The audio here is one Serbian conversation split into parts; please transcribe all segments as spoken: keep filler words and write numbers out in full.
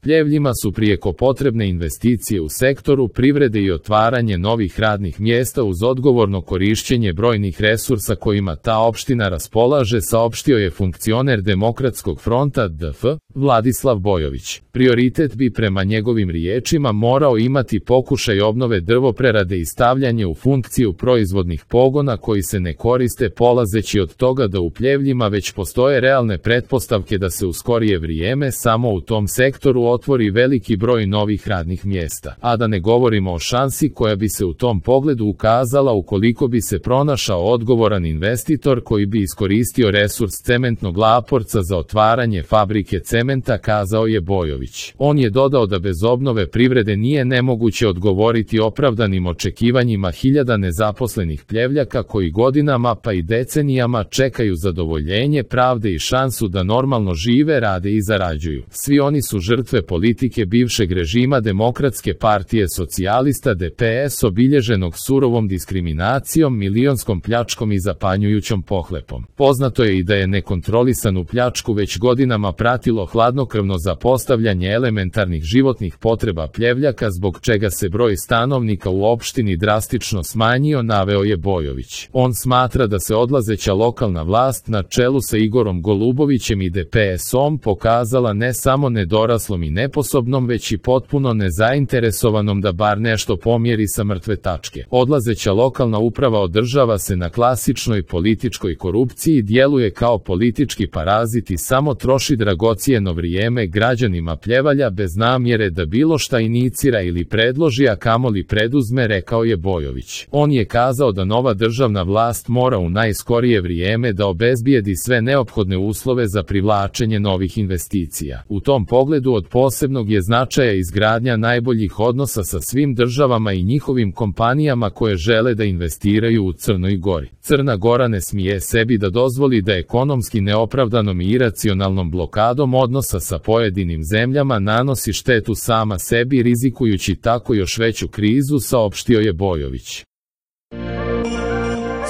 Pljevljima su prijeko potrebne investicije u sektoru privrede i otvaranje novih radnih mjesta uz odgovorno korišćenje brojnih resursa kojima ta opština raspolaže, saopštio je funkcioner Demokratskog fronta D F, Vladislav Bojović. Prioritet bi prema njegovim riječima morao imati pokušaj obnove drvoprerade i stavljanje u funkciju proizvodnih pogona koji se ne koriste, polazeći od toga da u Pljevljima već postoje realne pretpostavke da se u skorije vrijeme samo u tom sektoru otvori veliki broj novih radnih mjesta, a da ne govorimo o šansi koja bi se u tom pogledu ukazala ukoliko bi se pronašao odgovoran investitor koji bi iskoristio resurs cementnog Laporca za otvaranje fabrike cementa, kazao je Bojović. On je dodao da bez obnove privrede nije nemoguće odgovoriti opravdanim očekivanjima hiljada nezaposlenih Pljevljaka koji godinama pa i decenijama čekaju zadovoljenje pravde i šansu da normalno žive, rade i zarađuju. Svi oni su žrtve politike bivšeg režima Demokratske partije socijalista D P S obilježenog surovom diskriminacijom, milionskom pljačkom i zapanjujućom pohlepom. Poznato je i da je nekontrolisanu pljačku već godinama pratilo hladnokrvno zapostavljanje elementarnih životnih potreba Pljevljaka, zbog čega se broj stanovnika u opštini drastično smanjio, naveo je Bojović. On smatra da se odlazeća lokalna vlast na čelu sa Igorom Golubovićem i D P S-om pokazala ne samo nedoraslom i neposobnom, već i potpuno nezainteresovanom da bar nešto pomjeri sa mrtve tačke. Odlazeća lokalna uprava održava se na klasičnoj političkoj korupciji, djeluje kao politički parazit i samo troši dragocijeno vrijeme građanima Pljevalja bez namjere da bilo šta inicira ili predloži, a kamoli preduzme, rekao je Bojović. On je kazao da nova državna vlast mora u najskorije vrijeme da obezbijedi sve neophodne uslove za privlačenje novih investicija. U tom pogledu od posebnog je značaja izgradnja najboljih odnosa sa svim državama i njihovim kompanijama koje žele da investiraju u Crnoj Gori. Crna Gora ne smije sebi da dozvoli da ekonomski neopravdanom i iracionalnom blokadom odnosa sa pojedinim zemljama nanosi štetu sama sebi, rizikujući tako još veću krizu, saopštio je Bojović.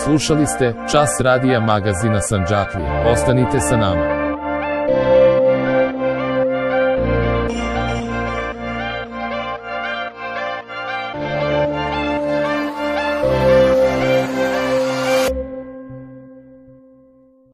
Slušali ste Čas radija magazina Sandžaklija. Ostanite sa nama.